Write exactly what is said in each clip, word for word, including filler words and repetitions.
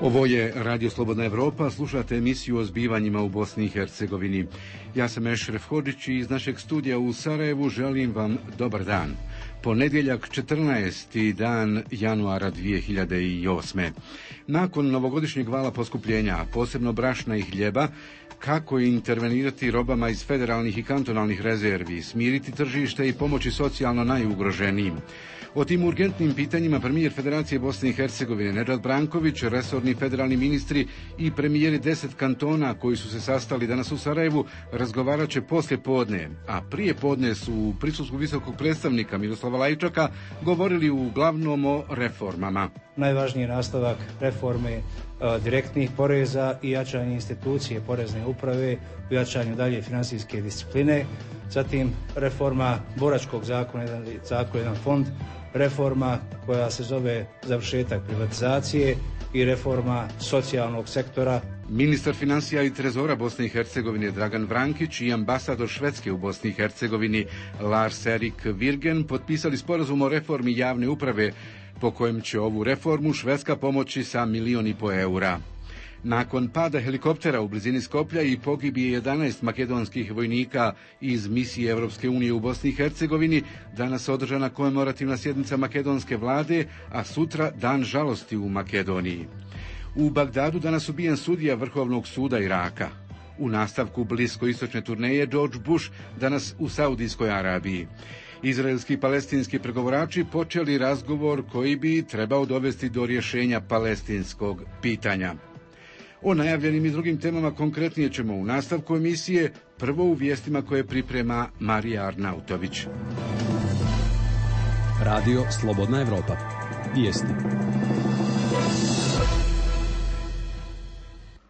Ovo je Radio Slobodna Evropa, slušate emisiju o zbivanjima u Bosni i Hercegovini. Ja sam Ešref Hodžić i iz našeg studija u Sarajevu želim vam dobar dan. Ponedjeljak četrnaesti dan januara dvije hiljade osme. Nakon novogodišnjeg vala poskupljenja, posebno brašna i hljeba, kako intervenirati robama iz federalnih i kantonalnih rezervi, smiriti tržište i pomoći socijalno najugroženijim. O tim urgentnim pitanjima premijer Federacije Bosne i Hercegovine Nedžad Branković, resorni federalni ministri i premijeri deset kantona koji su se sastali danas u Sarajevu razgovarat će poslije podne, a prije podne su u prisustvu visokog predstavnika Miroslava Lajčaka govorili uglavnom o reformama. Najvažniji nastavak reforme direktnih poreza i jačanje institucije porezne uprave, u jačanju dalje finansijske discipline, zatim reforma boračkog zakona, jedan zakon, jedan fond, reforma koja se zove završetak privatizacije i reforma socijalnog sektora. Ministar financija i trezora Bosne i Hercegovine Dragan Vrankić i ambasador Švedske u Bosni i Hercegovini Lars Erik Virgen potpisali sporazum o reformi javne uprave po kojem će ovu reformu Švedska pomoći sa milijon i po eura. Nakon pada helikoptera u blizini Skoplja i pogibije jedanaest makedonskih vojnika iz misije Evropske unije u Bosni i Hercegovini, danas održana komemorativna sjednica makedonske vlade, a sutra dan žalosti u Makedoniji. U Bagdadu danas ubijen sudija Vrhovnog suda Iraka. U nastavku bliskoistočne turneje George Bush danas u Saudijskoj Arabiji. Izraelski i palestinski pregovarači počeli razgovor koji bi trebao dovesti do rješenja palestinskog pitanja. O najavljenim i drugim temama konkretnije ćemo u nastavku emisije, prvo u vijestima koje priprema Marija Arnautović. Radio Slobodna Evropa. Vijesti.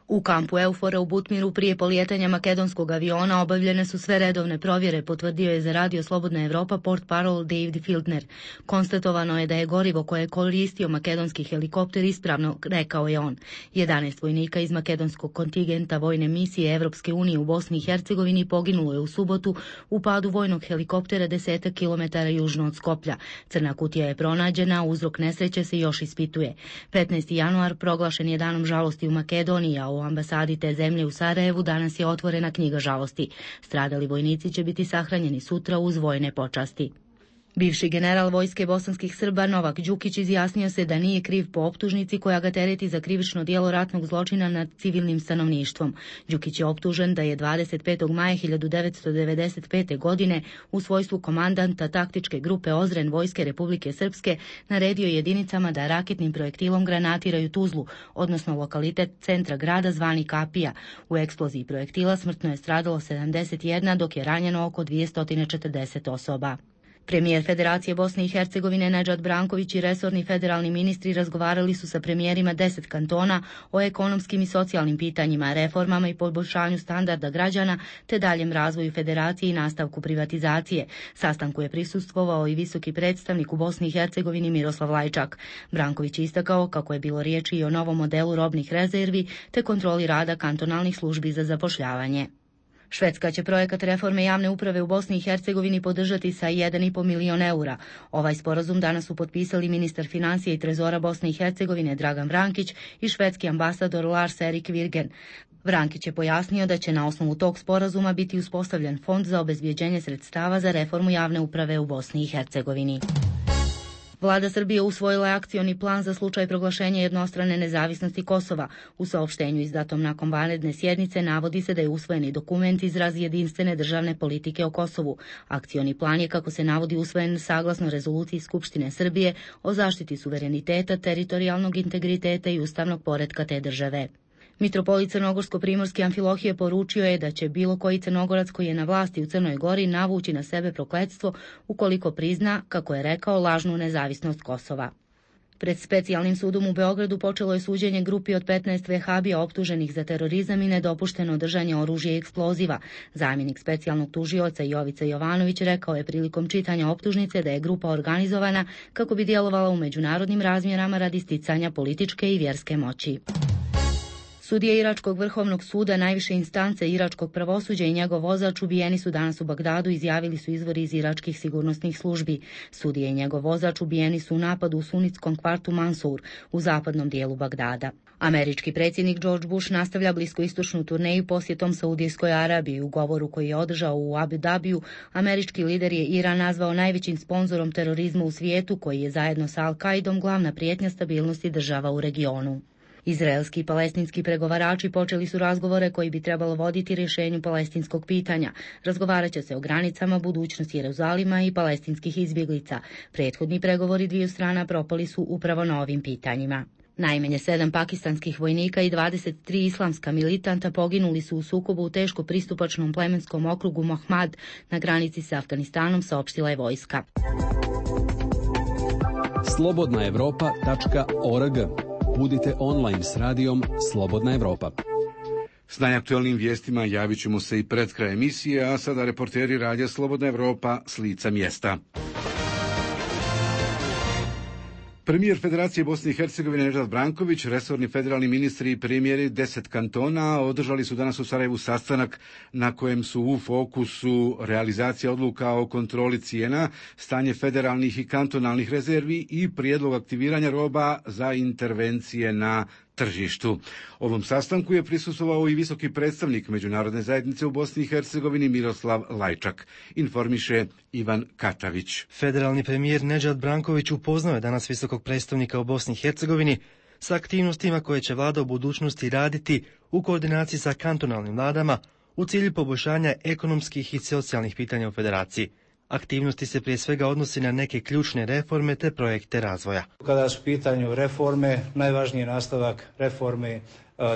U kampu Eufora u Butmiru prije polijetanja makedonskog aviona obavljene su sve redovne provjere, potvrdio je za Radio Slobodna Evropa portparol David Fieldner. Konstatovano je da je gorivo koje je koristio makedonski helikopter ispravno, rekao je on. jedanaest vojnika iz makedonskog kontingenta vojne misije Evropske unije u Bosni i Hercegovini poginulo je u subotu u padu vojnog helikoptera desetak kilometara južno od Skoplja. Crna kutija je pronađena, uzrok nesreće se još ispituje. petnaesti januar proglašen je danom žalosti u Makedoniji, a u ambasadi te zemlje u Sarajevu danas je otvorena knjiga žalosti. Stradali vojnici će biti sahranjeni sutra uz vojne počasti. Bivši general vojske bosanskih Srba Novak Đukić izjasnio se da nije kriv po optužnici koja ga tereti za krivično djelo ratnog zločina nad civilnim stanovništvom. Đukić je optužen da je dvadeset petog maja hiljadu devetsto devedeset pete. godine u svojstvu komandanta taktičke grupe Ozren Vojske Republike Srpske naredio jedinicama da raketnim projektilom granatiraju Tuzlu, odnosno lokalitet centra grada zvani Kapija. U eksploziji projektila smrtno je stradalo sedamdeset jedna, dok je ranjeno oko dvjesto četrdeset osoba. Premijer Federacije Bosne i Hercegovine Nedžad Branković i resorni federalni ministri razgovarali su sa premijerima deset kantona o ekonomskim i socijalnim pitanjima, reformama i poboljšanju standarda građana te daljem razvoju federacije i nastavku privatizacije. Sastanku je prisustvovao i visoki predstavnik u Bosni i Hercegovini Miroslav Lajčak. Branković je istakao kako je bilo riječi i o novom modelu robnih rezervi te kontroli rada kantonalnih službi za zapošljavanje. Švedska će projekat reforme javne uprave u Bosni i Hercegovini podržati sa jedan i po milion eura. Ovaj sporazum danas su potpisali ministar financija i trezora Bosne i Hercegovine Dragan Vrankić i švedski ambasador Lars Erik Virgen. Vrankić je pojasnio da će na osnovu tog sporazuma biti uspostavljen fond za obezbjeđenje sredstava za reformu javne uprave u Bosni i Hercegovini. Vlada Srbije usvojila je akcioni plan za slučaj proglašenja jednostrane nezavisnosti Kosova. U saopštenju izdatom nakon vanredne sjednice navodi se da je usvojeni dokument izraz jedinstvene državne politike o Kosovu. Akcioni plan je, kako se navodi, usvojen saglasno rezoluciji Skupštine Srbije o zaštiti suvereniteta, teritorijalnog integriteta i ustavnog poretka te države. Mitropolit Crnogorsko-primorski Amfilohije poručio je da će bilo koji Crnogorac koji je na vlasti u Crnoj Gori navući na sebe prokletstvo ukoliko prizna, kako je rekao, lažnu nezavisnost Kosova. Pred specijalnim sudom u Beogradu počelo je suđenje grupi od petnaest vehabija optuženih za terorizam i nedopušteno držanje oružja i eksploziva. Zamjenik specijalnog tužioca Jovica Jovanović rekao je prilikom čitanja optužnice da je grupa organizovana kako bi djelovala u međunarodnim razmjerama radi sticanja političke i vjerske moći. Sudije Iračkog vrhovnog suda, najviše instance iračkog pravosuđa i njegov vozač ubijeni su danas u Bagdadu, izjavili su izvori iz iračkih sigurnosnih službi. Sudije i njegov vozač ubijeni su u napadu u sunitskom kvartu Mansur u zapadnom dijelu Bagdada. Američki predsjednik George Bush nastavlja bliskoistočnu turneju posjetom Saudijskoj Arabiji. U govoru koji je održao u Abu Dhabiju, američki lider je Iran nazvao najvećim sponzorom terorizma u svijetu, koji je zajedno sa Al-Kaidom glavna prijetnja stabilnosti država u regionu. Izraelski i palestinski pregovarači počeli su razgovore koji bi trebalo voditi rješenju palestinskog pitanja. Razgovarat će se o granicama, budućnosti Jeruzalima i palestinskih izbjeglica. Prethodni pregovori dviju strana propali su upravo na ovim pitanjima. Najmanje sedam pakistanskih vojnika i dvadeset tri islamska militanta poginuli su u sukobu u teško pristupačnom plemenskom okrugu Mohmad na granici s Afganistanom, saopštila je vojska. slobodna evropa tačka org. Budite online s radijom Slobodna Evropa. S najaktualnim vijestima javit ćemo se i pred kraj emisije, a sada reporteri radija Slobodna Evropa s lica mjesta. Premijer Federacije Bosne i Hercegovine Nedžad Branković, resorni federalni ministri i premijeri deset kantona održali su danas u Sarajevu sastanak na kojem su u fokusu realizacija odluka o kontroli cijena, stanje federalnih i kantonalnih rezervi i prijedlog aktiviranja roba za intervencije na tržištu. Ovom sastanku je prisustvovao i visoki predstavnik Međunarodne zajednice u Bosni i Hercegovini Miroslav Lajčak, informiše Ivan Katavić. Federalni premijer Nedžad Branković upoznao je danas visokog predstavnika u Bosni i Hercegovini sa aktivnostima koje će vlada u budućnosti raditi u koordinaciji sa kantonalnim vladama u cilju poboljšanja ekonomskih i socijalnih pitanja u federaciji. Aktivnosti se prije svega odnosi na neke ključne reforme te projekte razvoja. Kada su u pitanju reforme, najvažniji je nastavak reforme e,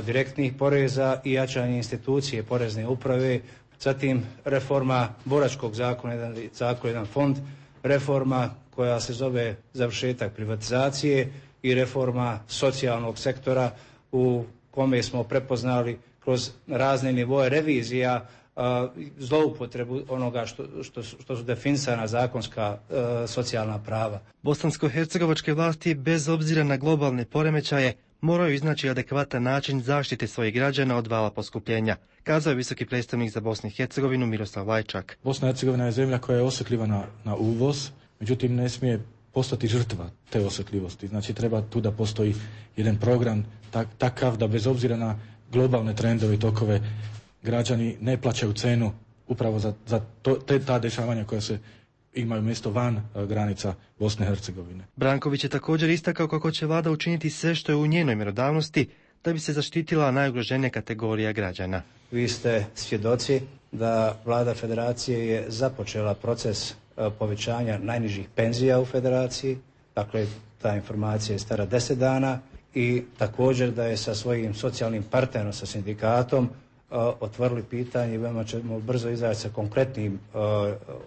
direktnih poreza i jačanje institucije porezne uprave, zatim reforma boračkog zakona, jedan zakon, jedan fond, reforma koja se zove završetak privatizacije i reforma socijalnog sektora u kome smo prepoznali kroz razne nivoe revizija zloupotrebu onoga što, što, što su definisana zakonska e, socijalna prava. Bosansko-hercegovačke vlasti, bez obzira na globalne poremećaje, moraju iznaći adekvatan način zaštite svojih građana od vala poskupljenja, kazao je visoki predstavnik za Bosnu i Hercegovinu Miroslav Lajčak. Bosna i Hercegovina je zemlja koja je osjetljiva na, na uvoz, međutim ne smije postati žrtva te osjetljivosti. Znači treba tu da postoji jedan program tak, takav da bez obzira na globalne trendove i tokove građani ne plaćaju cenu upravo za, za to, te ta dešavanja koja se imaju mjesto van uh, granica Bosne i Hercegovine. Branković je također istakao kako će vlada učiniti sve što je u njenoj mjerodavnosti da bi se zaštitila najugroženija kategorija građana. Vi ste svjedoci da vlada federacije je započela proces uh, povećanja najnižih penzija u federaciji, dakle ta informacija je stara deset dana i također da je sa svojim socijalnim partnerom, sa sindikatom, Uh, otvorili pitanje i veoma ćemo brzo izaći sa konkretnim uh,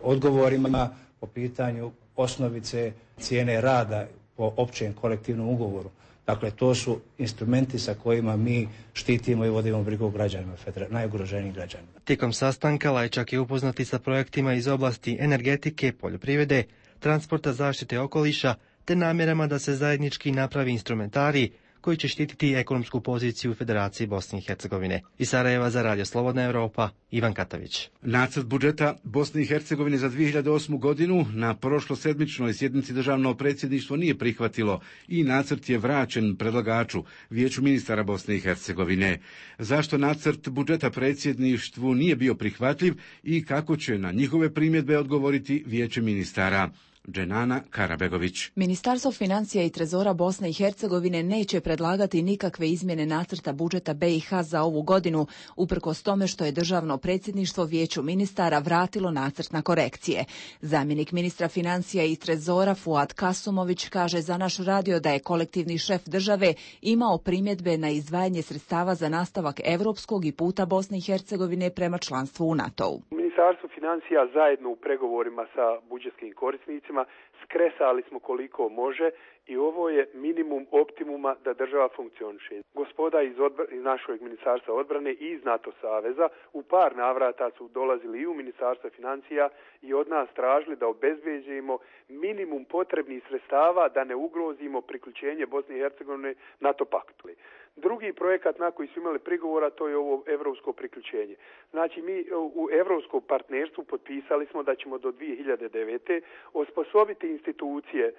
odgovorima po pitanju osnovice cijene rada po općem kolektivnom ugovoru. Dakle, to su instrumenti sa kojima mi štitimo i vodimo brigu o građanima, najugroženijim građanima. Tijekom sastanka Lajčak je upoznati sa projektima iz oblasti energetike, poljoprivrede, transporta, zaštite okoliša, te namjerama da se zajednički napravi instrumentarij koji će štititi ekonomsku poziciju u Federaciji Bosne i Hercegovine. Iz Sarajeva za Radio Slobodna Evropa, Ivan Katavić. Nacrt budžeta Bosne i Hercegovine za dvije hiljade osmu godinu na prošlosedmičnoj sjednici državno predsjedništvo nije prihvatilo i nacrt je vraćen predlagaču, Vijeću ministara Bosne i Hercegovine. Zašto nacrt budžeta predsjedništvu nije bio prihvatljiv i kako će na njihove primjedbe odgovoriti Vijeće ministara? Dženana Karabegović. Ministarstvo financija i trezora Bosne i Hercegovine neće predlagati nikakve izmjene nacrta budžeta be i ha za ovu godinu, uprkos tome što je državno predsjedništvo Vijeću ministara vratilo nacrt na korekcije. Zamjenik ministra financija i trezora Fuad Kasumović kaže za naš radio da je kolektivni šef države imao primjedbe na izdvajanje sredstava za nastavak europskog i puta Bosne i Hercegovine prema članstvu u NATO-u. Ministarstvo financija zajedno u pregovorima sa budžetskim korisnicima skresali smo koliko može i ovo je minimum optimuma da država funkcioniše. Gospoda iz, odbr- iz našeg ministarstva odbrane i iz NATO saveza u par navrata su dolazili i u ministarstvo financija i od nas tražili da obezbeđujemo minimum potrebnih sredstava da ne ugrozimo priključenje Bosne i Hercegovine NATO paktu. Drugi projekat na koji su imali prigovora, to je ovo evropsko priključenje. Znači mi u evropskom partnerstvu potpisali smo da ćemo do dvije hiljade devete osposobiti institucije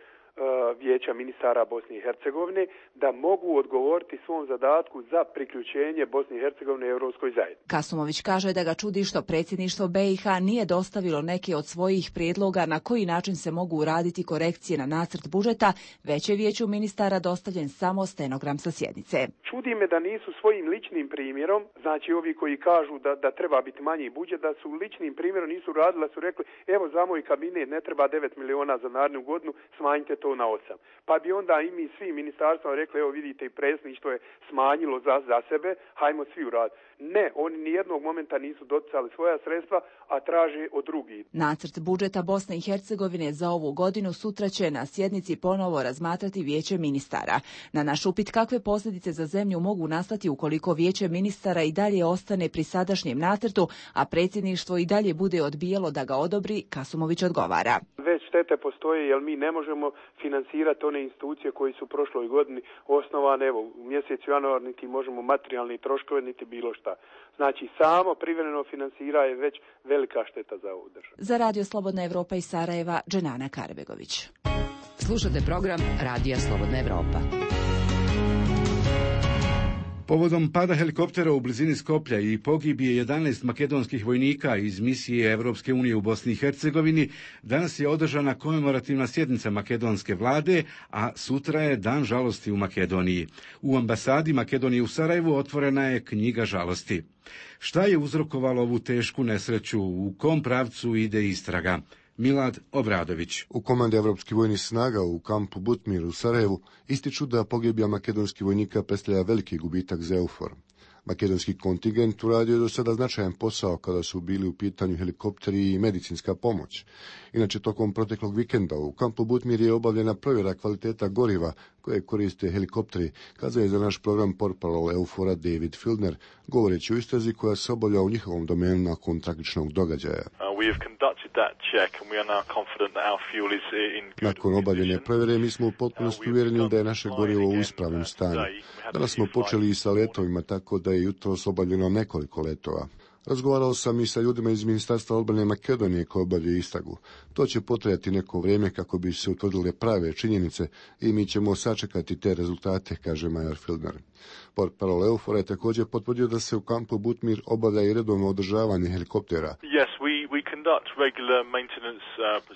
Vijeća ministara Bosne i Hercegovine da mogu odgovoriti svom zadatku za priključenje Bosne i Hercegovine Europskoj zajednici. Kasumović kaže da ga čudi što predsjedništvo B i H nije dostavilo neke od svojih prijedloga na koji način se mogu uraditi korekcije na nacrt budžeta, već je Vijeću ministara dostavljen samo stenogram sa sjednice. Čudi me da nisu svojim ličnim primjerom, znači ovi koji kažu da, da treba biti manji budžet, da su ličnim primjerom nisu radili, da su rekli evo za moj kabinet ne treba devet miliona za narednu godinu, smanjite to na osam. Pa bi onda i mi svi ministarstva rekli, evo vidite i predsjedništvo je smanjilo za, za sebe, hajmo svi uraditi. Ne, oni nijednog momenta nisu doticali svoja sredstva, a traže od drugih. Nacrt budžeta Bosne i Hercegovine za ovu godinu sutra će na sjednici ponovo razmatrati Vijeće ministara. Na naš upit kakve posljedice za zemlju mogu nastati ukoliko Vijeće ministara i dalje ostane pri sadašnjem nacrtu, a predsjedništvo i dalje bude odbijalo da ga odobri, Kasumović odgovara. Već štete postoje jer mi ne možemo finansirati one institucije koji su u prošloj godini osnovane, evo u mjesecu januar niti možemo materijalni troškove niti bilo šta. Znači samo privremeno finansira je već velika šteta za ovu državu. Za Radio Slobodna Evropa iz Sarajeva, Dženana Karbegović. Slušate program Radija Slobodna Evropa. Povodom pada helikoptera u blizini Skoplja i pogibije jedanaest makedonskih vojnika iz misije Evropske unije u Bosni i Hercegovini, danas je održana komemorativna sjednica makedonske vlade, a sutra je dan žalosti u Makedoniji. U ambasadi Makedonije u Sarajevu otvorena je knjiga žalosti. Šta je uzrokovalo ovu tešku nesreću, u kom pravcu ide istraga? Milad Obradović. U komandi Evropskih vojnih snaga u kampu Butmir u Sarajevu ističu da pogibija makedonskih vojnika predstavlja veliki gubitak za EUFOR. Makedonski kontingent uradio je do sada značajan posao kada su bili u pitanju helikopteri i medicinska pomoć. Inače, tokom proteklog vikenda u kampu Butmir je obavljena provjera kvaliteta goriva koje koriste helikopteri, kazao je za naš program portparol EUFOR-a David Fieldner, govoreći o istrazi koja se obavlja u njihovom domenu nakon tragičnog događaja. Nakon obavljene provjere mi smo u potpunosti uvjereni da je naše gorivo u ispravnom stanju. Danas smo počeli i sa letovima, tako da je jutros obavljeno nekoliko letova. Razgovarao sam i sa ljudima iz Ministarstva odbrane Makedonije koji obavljaju istragu. To će potrajati neko vrijeme kako bi se utvrdile prave činjenice i mi ćemo sačekati te rezultate, kaže major Fieldner. Portparol EUFOR je također potvrdio da se u kampu Butmir obavlja i redovno održavanje helikoptera.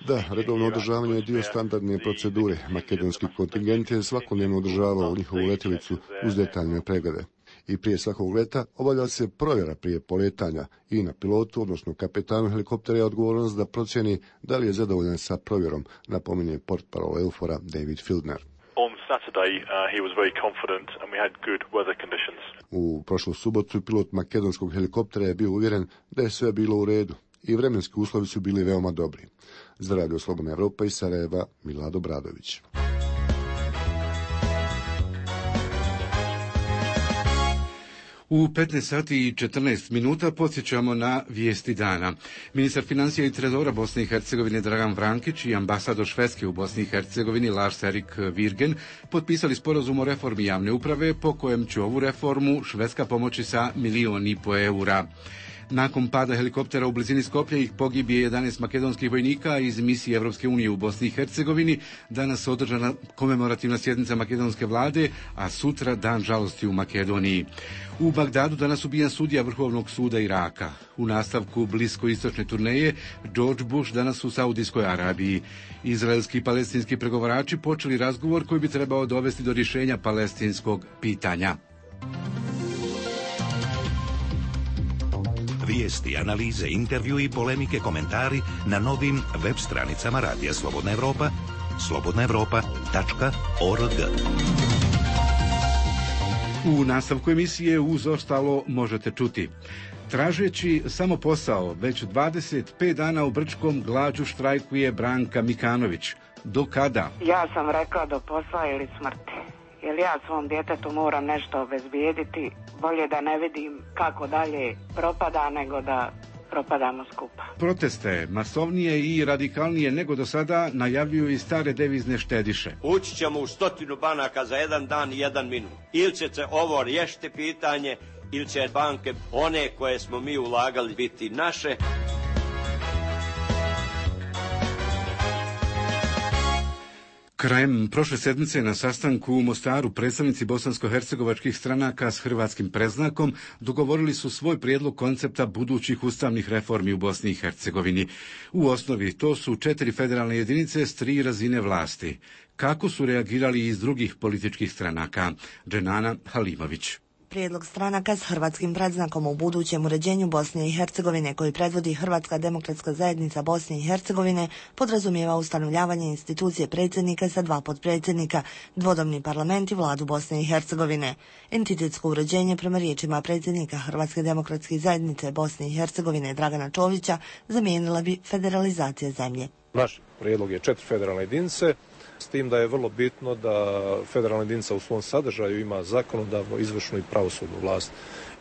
Da, redovno održavanje je dio standardne procedure. Makedonski kontingent je svakodnevno održavao njihovu letjelicu uz detaljne preglede. I prije svakog leta obavlja se provjera prije poletanja i na pilotu, odnosno kapetanu helikoptera je odgovornost da procjeni da li je zadovoljan sa provjerom, napominje portparol EUFOR-a David Fieldner. U prošlu subotu pilot makedonskog helikoptera je bio uvjeren da je sve bilo u redu i vremenski uslovi su bili veoma dobri. Za Radio Slobodna Evropa iz Sarajeva, Milad Obradović. U petnaest sati i četrnaest minuta podsjećamo na vijesti dana. Ministar financija i trezora Bosne i Hercegovine Dragan Vrankić i ambasador Švedske u Bosni i Hercegovini Lars Erik Virgen potpisali sporazum o reformi javne uprave po kojem će ovu reformu Švedska pomoći sa milion i po eura. Nakon pada helikoptera u blizini Skoplja ih pogibije jedanaest makedonskih vojnika iz misije Evropske unije u Bosni i Hercegovini. Danas održana komemorativna sjednica makedonske vlade, a sutra dan žalosti u Makedoniji. U Bagdadu danas ubijen sudija Vrhovnog suda Iraka. U nastavku bliskoistočne turneje George Bush danas u Saudijskoj Arabiji. Izraelski i palestinski pregovarači počeli razgovor koji bi trebao dovesti do rješenja palestinskog pitanja. Vijesti, analize, intervju i polemike, komentari na novim web stranicama Radija Slobodna Evropa, slobodna evropa tačka org. U nastavku emisije uz ostalo možete čuti. Tražeći samo posao, već dvadeset pet dana u Brčkom glađu štrajkuje Branka Mikanović. Do kada? Ja sam rekla do posla ili smrti. Jer ja svom djetetu moram nešto obezbijediti, bolje da ne vidim kako dalje propada nego da propadamo skupa. Proteste, masovnije i radikalnije nego do sada, najavljuju i stare devizne štediše. Ući ćemo u stotinu banaka za jedan dan i jedan minut. Ili će se ovo riješiti pitanje, ili će banke, one koje smo mi ulagali, biti naše. Krajem prošle sedmice na sastanku u Mostaru predstavnici bosansko-hercegovačkih stranaka s hrvatskim predznakom dogovorili su svoj prijedlog koncepta budućih ustavnih reformi u Bosni i Hercegovini. U osnovi to su četiri federalne jedinice s tri razine vlasti. Kako su reagirali iz drugih političkih stranaka? Dženana Halimović. Prijedlog stranaka s hrvatskim predznakom u budućem uređenju Bosne i Hercegovine koji predvodi Hrvatska demokratska zajednica Bosne i Hercegovine podrazumijeva ustanovljavanje institucije predsjednika sa dva potpredsjednika, dvodomni parlament i vladu Bosne i Hercegovine. Entitetsko uređenje prema riječima predsjednika Hrvatske demokratske zajednice Bosne i Hercegovine Dragana Čovića zamijenila bi federalizacija zemlje. Naš prijedlog je četiri federalne jedinice, s tim da je vrlo bitno da federalna jedinica u svom sadržaju ima zakonodavnu, izvršnu i pravosudnu vlast.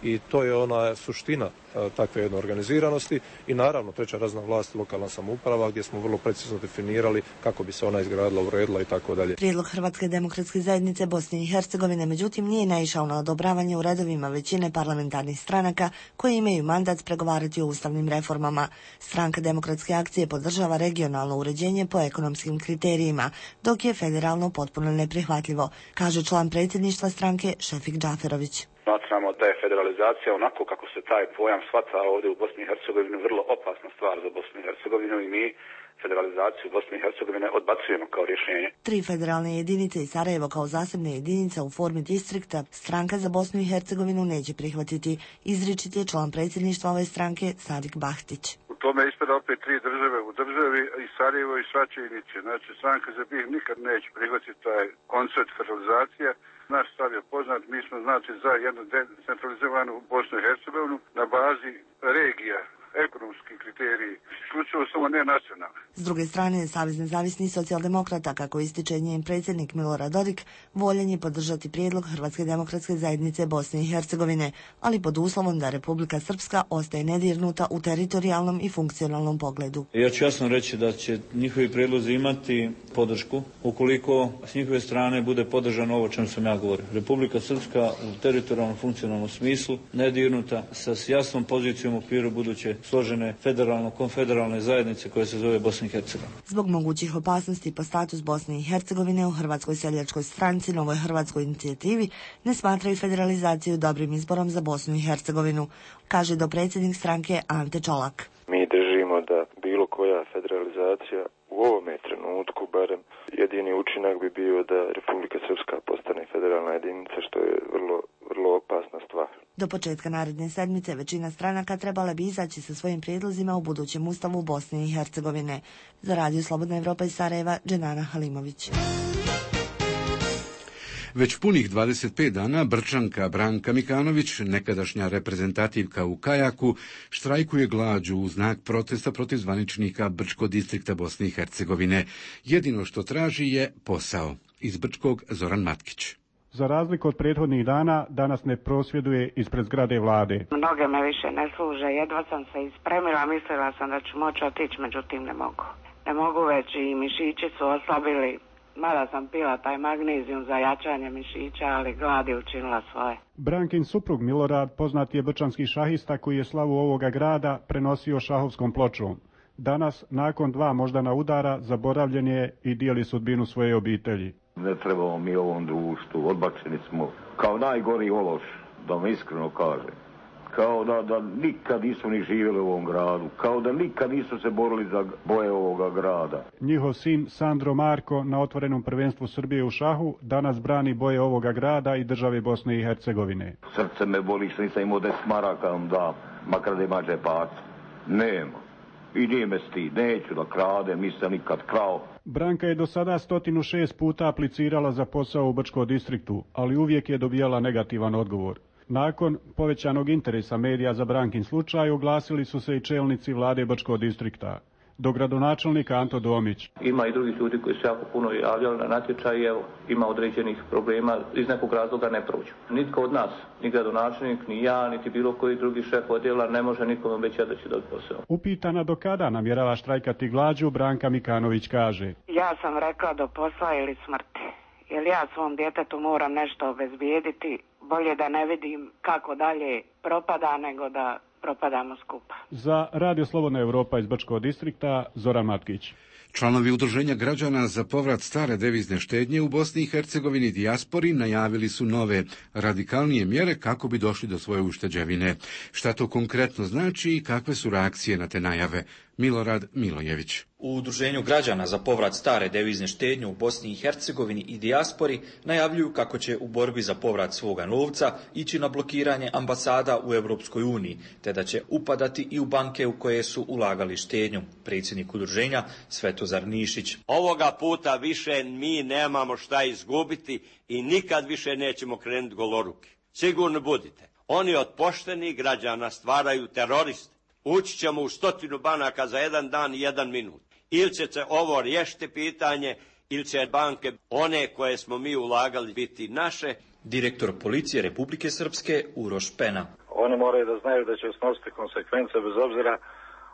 I to je ona suština a, takve jedne organiziranosti i naravno treća razina vlast, lokalna samouprava gdje smo vrlo precizno definirali kako bi se ona izgradila, uredila i tako dalje. Prijedlog Hrvatske demokratske zajednice Bosne i Hercegovine međutim nije naišao na odobravanje u redovima većine parlamentarnih stranaka koje imaju mandat pregovarati o ustavnim reformama. Stranka demokratske akcije podržava regionalno uređenje po ekonomskim kriterijima, dok je federalno potpuno neprihvatljivo, kaže član predsjedništva stranke Šefik Džaferović. Smatramo da je federalizacija onako kako se taj pojam shvata ovdje u Bosni i Hercegovini vrlo opasna stvar za Bosnu i Hercegovinu i mi federalizaciju Bosne i Hercegovine odbacujemo kao rješenje. Tri federalne jedinice i Sarajevo kao zasebne jedinice u formi distrikta stranka za Bosnu i Hercegovinu neće prihvatiti, izričit je član predsjedništva ove stranke Sadik Bahtić. U tome ispada opet tri države u državi i Sarajevo i Sračajnice. Znači stranka za BiH nikad neće prihvatiti taj koncept federalizacije. Naš stav je poznat, mi smo znači za jednu decentralizovanu Bosnu i Hercegovinu na bazi regija, ekonomski kriteriji, isključivo samo ne nacionalne. S druge strane, Savez nezavisnih socijaldemokrata, kako ističe njen predsjednik Milorad Dodik, voljan je podržati prijedlog Hrvatske demokratske zajednice Bosne i Hercegovine, ali pod uslovom da Republika Srpska ostaje nedirnuta u teritorijalnom i funkcionalnom pogledu. Ja ću jasno reći da će njihovi prijedlozi imati podršku ukoliko s njihove strane bude podržano ovo o čemu sam ja govorio. Republika Srpska u teritorijalnom funkcionalnom smislu nedirnuta sa jasnom pozicijom u okviru buduće složene federalno-konfederalne zajednice koja se zove Bosna i Hercegovina. Zbog mogućih opasnosti po status Bosne i Hercegovine u Hrvatskoj seljačkoj stranci, Novoj hrvatskoj inicijativi, ne smatraju federalizaciju dobrim izborom za Bosnu i Hercegovinu, kaže dopredsjednik stranke Ante Čolak. Mi držimo da bilo koja federalizacija u ovome trenutku barem jedini učinak bi bio da Republika Srpska postane federalna jedinica, što je vrlo, vrlo opasna stvar. Do početka naredne sedmice većina stranaka trebala bi izaći sa svojim prijedlozima u budućem ustavu Bosne i Hercegovine. Za Radio Slobodna Evropa iz Sarajeva, Dženana Halimović. Već punih dvadeset pet dana Brčanka Branka Mikanović, nekadašnja reprezentativka u kajaku, štrajkuje glađu u znak protesta protiv zvaničnika Brčkog distrikta Bosne i Hercegovine. Jedino što traži je posao. Iz Brčkog Zoran Matkić. Za razliku od prethodnih dana, danas ne prosvjeduje ispred zgrade vlade. Mnoge me više ne služe, jedva sam se ispremila, mislila sam da ću moći otići, međutim ne mogu. Ne mogu već i mišići su oslabili. Mada sam pila taj magnezijum za jačanje mišića, ali glad je učinila svoje. Brankin suprug Milorad poznat je brčanski šahista koji je slavu ovoga grada prenosio šahovskom pločom. Danas, nakon dva moždana udara, zaboravljen je i dijeli sudbinu svoje obitelji. Ne trebamo mi ovom društvu, odbačeni smo kao najgori ološ, da vam iskreno kažem. Kao da, da nikad nisu ni živjeli u ovom gradu, kao da nikad nisu se borili za boje ovoga grada. Njihov sin Sandro Marko na otvorenom prvenstvu Srbije u šahu danas brani boje ovoga grada i države Bosne i Hercegovine. Srce me boli što nisam imao deset maraka vam da, makar da ima džepaca. Nema. I nije me stid, neću da kradem, nisam nikad krao. Branka je do sada sto šest puta aplicirala za posao u Brčkom distriktu, ali uvijek je dobijala negativan odgovor. Nakon povećanog interesa medija za Brankin slučaj oglasili su se i čelnici vlade Brčkog distrikta. Do gradonačelnika Anto Domić. Ima i drugih ljudi koji su jako puno javljali na natječaj i evo, ima određenih problema, iz nekog razloga ne prođu. Nitko od nas, ni gradonačelnik, ni ja, niti bilo koji drugi šef odjela ne može nikom obećati da će dobiti posao. Upitana do kada namjerava štrajkati glađu, Branka Mikanović kaže. Ja sam rekla do posla ili smrti, jer ja svom djetetu moram nešto obezbijediti. Bolje da ne vidim kako dalje propada nego da propadamo skupa. Za Radio Slobodna Evropa iz Brčkog distrikta, Zoran Matkić. Članovi Udruženja građana za povrat stare devizne štednje u Bosni i Hercegovini dijaspori najavili su nove, radikalnije mjere kako bi došli do svoje ušteđevine. Šta to konkretno znači i kakve su reakcije na te najave? Milorad Milojević. U Udruženju građana za povrat stare devizne štednje u Bosni i Hercegovini i dijaspori najavljuju kako će u borbi za povrat svoga novca ići na blokiranje ambasada u Europskoj uniji, te da će upadati i u banke u koje su ulagali štednju. Predsjednik udruženja Svetozar Nišić. Ovoga puta više mi nemamo šta izgubiti i nikad više nećemo krenuti goloruki. Sigurno budite. Oni od poštenih građana stvaraju teroriste. Ući ćemo u stotinu banaka za jedan dan i jedan minut. Ili će se ovo riješiti pitanje, ili će banke, one koje smo mi ulagali, biti naše. Direktor policije Republike Srpske Uroš Pena. Oni moraju da znaju da će snositi konsekvence bez obzira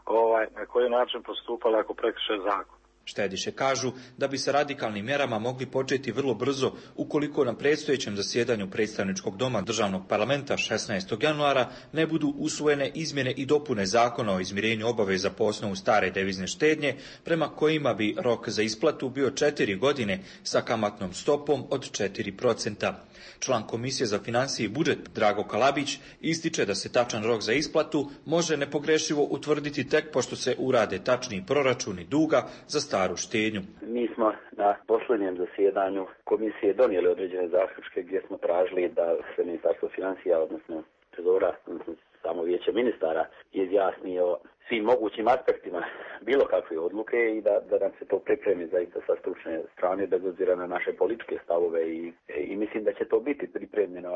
ovaj, na koji način postupali ako prekrše zakon. Štediše kažu da bi se radikalnim mjerama mogli početi vrlo brzo ukoliko na predstojećem zasjedanju predstavničkog doma državnog parlamenta šesnaestog januara ne budu usvojene izmjene i dopune zakona o izmirenju obaveza po osnovu stare devizne štednje, prema kojima bi rok za isplatu bio četiri godine sa kamatnom stopom od četiri procenta. Član Komisije za financije i budžet Drago Kalabić ističe da se tačan rok za isplatu može nepogrešivo utvrditi tek pošto se urade tačni proračuni duga za staru štednju. Mi smo na posljednjem zasjedanju komisije donijeli određene zaključke gdje smo tražili da se Ministarstvo financija, odnosno trezora, odnosno samo vijeće ministara, izjasni o svim mogućim aspektima bilo kakve odluke i da, da nam se to pripremi zaista sa stručne strane, bez obzira na naše političke stavove i, i mislim da će to biti pripremljeno.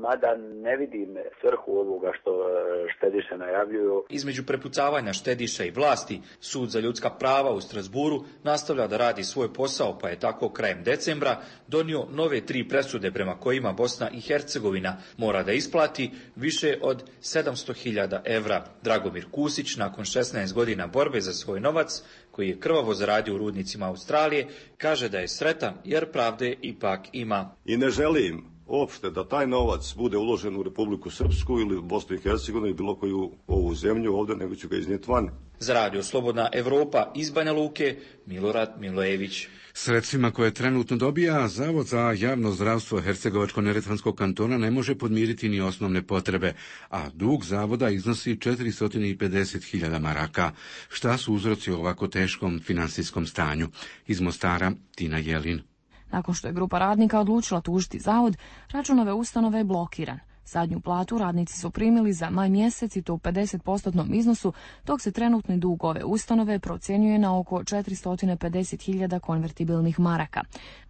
Mada ne vidim svrhu ovoga što štediše najavljuju. Između prepucavanja štediša i vlasti, Sud za ljudska prava u Strasburu nastavlja da radi svoj posao, pa je tako krajem decembra donio nove tri presude prema kojima Bosna i Hercegovina mora da isplati više od sedamsto hiljada evra. Dragomir Kusić, nakon šesnaest godina borbe za svoj novac, koji je krvavo zaradio u rudnicima Australije, kaže da je sretan jer pravde ipak ima. I ne želim uopšte da taj novac bude uložen u Republiku Srpsku ili u Bosnu i Hercegovinu ili bilo koju ovu zemlju ovdje, nego ću ga iznijeti van. Za Radio Slobodna Evropa iz Banja Luke, Milorad Milojević. Sredstvima koje trenutno dobija Zavod za javno zdravstvo Hercegovačko-neretvanskog kantona ne može podmiriti ni osnovne potrebe, a dug zavoda iznosi četiristo pedeset hiljada maraka. Šta su uzroci ovako teškom finansijskom stanju? Iz Mostara, Tina Jelin. Nakon što je grupa radnika odlučila tužiti zavod, račun ove ustanove je blokiran. Zadnju platu radnici su primili za maj mjesec i to u pedeset posto iznosu, dok se trenutni dug ove ustanove procjenjuje na oko četiristo pedeset hiljada konvertibilnih maraka.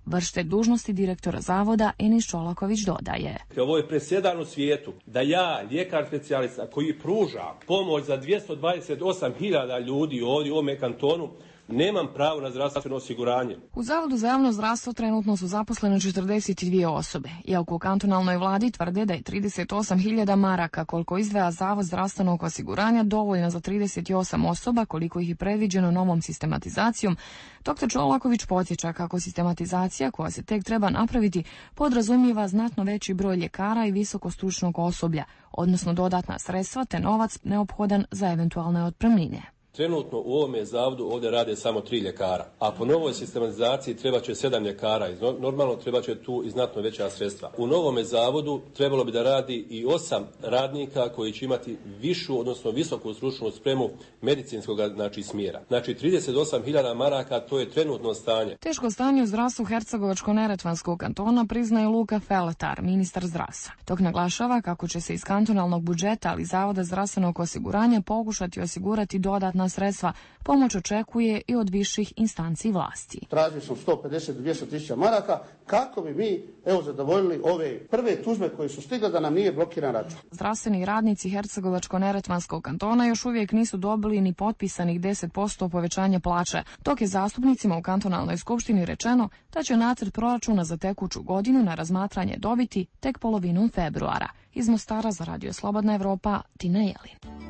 Vršitelj dužnosti direktora zavoda Enis Čolaković dodaje. Ovo je presedan u svijetu da ja, ljekar specijalista koji pruža pomoć za dvjesto dvadeset osam hiljada ljudi ovdje u ovome kantonu, nemam pravo na zdravstveno osiguranje. U Zavodu za javno zdravstvo trenutno su zaposlene četrdeset dvije osobe, iako u kantonalnoj vladi tvrde da je trideset osam hiljada maraka koliko izdvaja Zavod zdravstvenog osiguranja dovoljno za trideset osam osoba koliko ih je predviđeno novom sistematizacijom. Doktor Čolaković podsjeća kako sistematizacija koja se tek treba napraviti podrazumijeva znatno veći broj ljekara i visokostručnog osoblja, odnosno dodatna sredstva te novac neophodan za eventualne otpremnine. Trenutno u ovome zavodu ovdje rade samo tri ljekara, a po novoj sistematizaciji treba će sedam ljekara i normalno treba će tu i znatno veća sredstva. U novome zavodu trebalo bi da radi i osam radnika koji će imati višu, odnosno visoku stručnu spremu medicinskog znači smjera. Znači trideset osam hiljada maraka, to je trenutno stanje. Teško stanje u zdravstvu Hercegovačko-neretvanskog kantona priznaje Luka Feletar, ministar zdravstva. Dok naglašava kako će se iz kantonalnog budžeta, ali Zavoda zdravstvenog osiguranja pokušati osigurati dodatna sredstva, pomoć očekuje i od viših instanci vlasti. Tražili smo sto pedeset do dvjesto tisuća maraka kako bi mi evo zadovoljili ove prve tužbe koje su stigle da nam nije blokiran račun. Zdravstveni radnici Hercegovačko-neretvanskog kantona još uvijek nisu dobili ni potpisanih deset posto povećanja plaće, dok je zastupnicima u kantonalnoj skupštini rečeno da će nacrt proračuna za tekuću godinu na razmatranje dobiti tek polovinom februara. Iz Mostara za Radio Slobodna Evropa, Tina Jelin.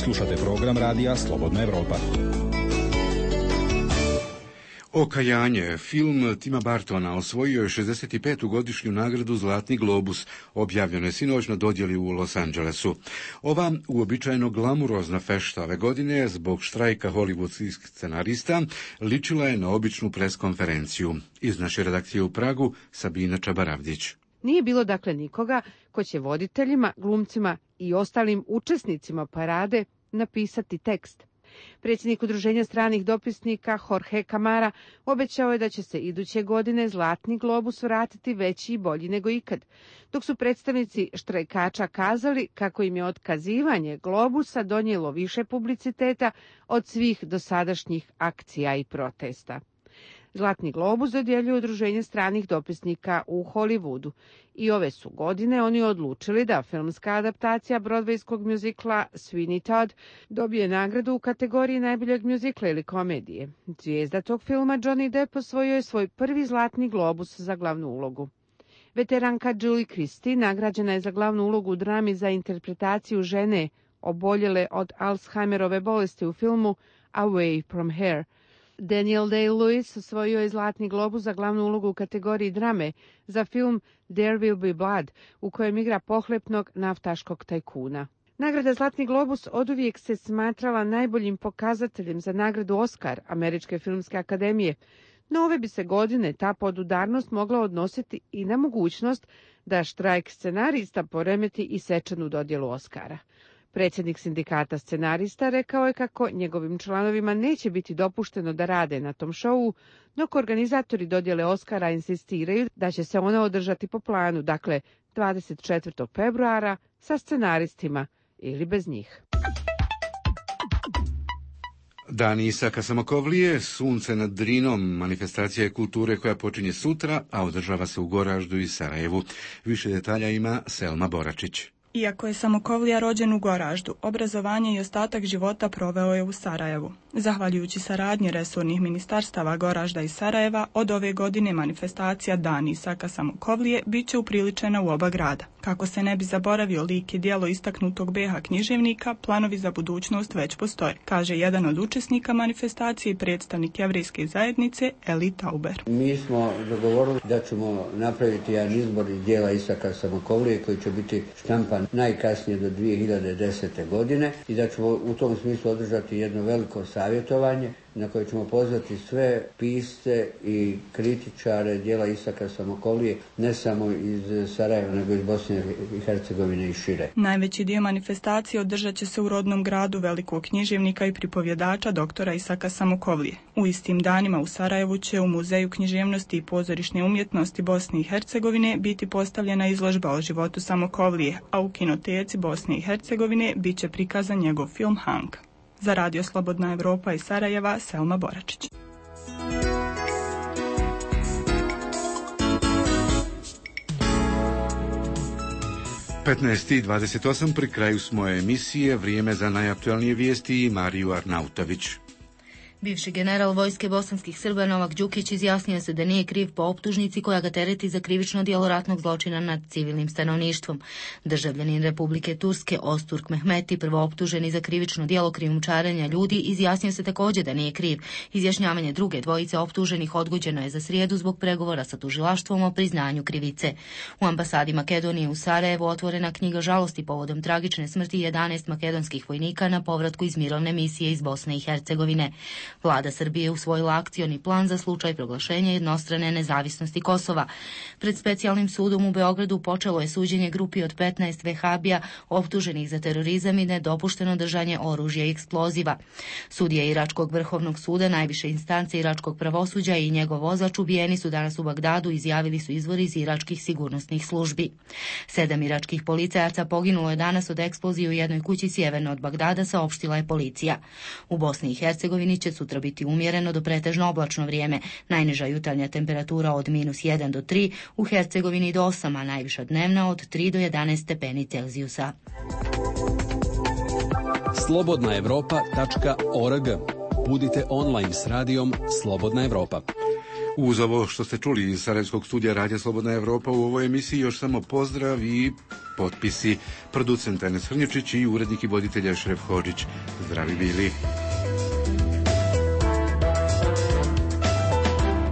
Slušate program Radija Slobodna Evropa. Okajanje, film Tima Bartona, osvojio je šezdeset petu godišnju nagradu Zlatni globus, objavljeno je sinoć na dodjeli u Los Angelesu. Ova uobičajeno glamurozna fešta ove godine, zbog štrajka hollywoodskih scenarista, ličila je na običnu preskonferenciju. Iz naše redakcije u Pragu, Sabina Čabaravdić. Nije bilo dakle nikoga ko će voditeljima, glumcima i ostalim učesnicima parade napisati tekst. Predsjednik Udruženja stranih dopisnika Jorge Camara obećao je da će se iduće godine Zlatni globus vratiti veći i bolji nego ikad, dok su predstavnici štrajkača kazali kako im je otkazivanje globusa donijelo više publiciteta od svih dosadašnjih akcija i protesta. Zlatni globus dodjeljuje Udruženje stranih dopisnika u Hollywoodu i ove su godine oni odlučili da filmska adaptacija brodvejskog mjuzikla Sweeney Todd dobije nagradu u kategoriji najboljeg mjuzikla ili komedije. Zvijezda tog filma Johnny Depp osvojio je svoj prvi Zlatni globus za glavnu ulogu. Veteranka Julie Christie nagrađena je za glavnu ulogu u drami za interpretaciju žene oboljele od Alzheimerove bolesti u filmu Away from Here. Daniel Day-Lewis osvojio je Zlatni globus za glavnu ulogu u kategoriji drame za film There Will Be Blood, u kojem igra pohlepnog naftaškog tajkuna. Nagrada Zlatni globus oduvijek se smatrala najboljim pokazateljem za nagradu Oscar Američke filmske akademije, no ove bi se godine ta podudarnost mogla odnositi i na mogućnost da štrajk scenarista poremeti i svečanu dodjelu Oscara. Predsjednik sindikata scenarista rekao je kako njegovim članovima neće biti dopušteno da rade na tom šovu, dok organizatori dodjele Oscara insistiraju da će se ona održati po planu, dakle dvadeset četvrtog februara sa scenaristima ili bez njih. Dan Isaka Samokovlije, Sunce nad Drinom, manifestacija je kulture koja počinje sutra, a održava se u Goraždu i Sarajevu. Više detalja ima Selma Boračić. Iako je Samokovlija rođen u Goraždu, obrazovanje i ostatak života proveo je u Sarajevu. Zahvaljujući saradnji resornih ministarstava Goražda i Sarajeva, od ove godine manifestacija Dan Isaka Samokovlije bit će upriličena u oba grada. Kako se ne bi zaboravio lik i djelo istaknutog be ha književnika, planovi za budućnost već postoje, kaže jedan od učesnika manifestacije i predstavnik jevrejske zajednice Eli Tauber. Mi smo dogovorili da ćemo napraviti jedan izbor iz djela Isaka Samokovlije koji će biti štampan najkasnije do dvije hiljade desete. godine i da ćemo u tom smislu održati jedno veliko savjetovanje na koje ćemo pozvati sve pisce i kritičare djela Isaka Samokovlije, ne samo iz Sarajeva, nego iz Bosne i Hercegovine i šire. Najveći dio manifestacije održat će se u rodnom gradu velikog književnika i pripovjedača doktora Isaka Samokovlije. U istim danima u Sarajevu će u Muzeju književnosti i pozorišne umjetnosti Bosne i Hercegovine biti postavljena izložba o životu Samokovlije, a u kinoteci Bosne i Hercegovine bit će prikazan njegov film Hank. Za Radio Slobodna Evropa iz Sarajeva, Selma Boračić. petnaest i dvadeset osam, pri kraju smo emisije, vrijeme za najaktualnije vijesti i Mariju Arnautović. Bivši general vojske bosanskih Srba Novak Đukić izjasnio se da nije kriv po optužnici koja ga tereti za krivično djelo ratnog zločina nad civilnim stanovništvom. Državljanin Republike Turske Osturk Mehmeti, prvo optuženi za krivično djelo krijumčarenja ljudi, izjasnio se također da nije kriv. Izjašnjavanje druge dvojice optuženih odgođeno je za srijedu zbog pregovora sa tužilaštvom o priznanju krivice. U ambasadi Makedonije u Sarajevu otvorena knjiga žalosti povodom tragične smrti jedanaest makedonskih vojnika na povratku iz mirovne misije iz Bosne i Hercegovine. Vlada Srbije je usvojila akcioni plan za slučaj proglašenja jednostrane nezavisnosti Kosova. Pred specijalnim sudom u Beogradu počelo je suđenje grupi od petnaest vehabija optuženih za terorizam i nedopušteno držanje oružja i eksploziva. Sudije Iračkog vrhovnog suda, najviše instance iračkog pravosuđa i njegov vozač ubijeni su danas u Bagdadu, izjavili su izvori iz iračkih sigurnosnih službi. Sedam iračkih policajaca poginulo je danas od eksplozije u jednoj kući sjeverno od Bagdada, saopštila je policija. U Bosni i Hercegovini će sutra biti umjereno do pretežno oblačno vrijeme. Najniža jutarnja temperatura od minus jedan do tri, u Hercegovini do osam, a najviša dnevna od tri do jedanaest stepeni Celzijusa. slobodna evropa tačka org. Budite online s radijom Slobodna Evropa. Uz ovo što ste čuli iz Sarajevskog studija Radija Slobodna Evropa, u ovoj emisiji još samo pozdrav i potpisi. Producent Enes Hrnječić i urednik i voditelj Šref Hodžić. Zdravi bili.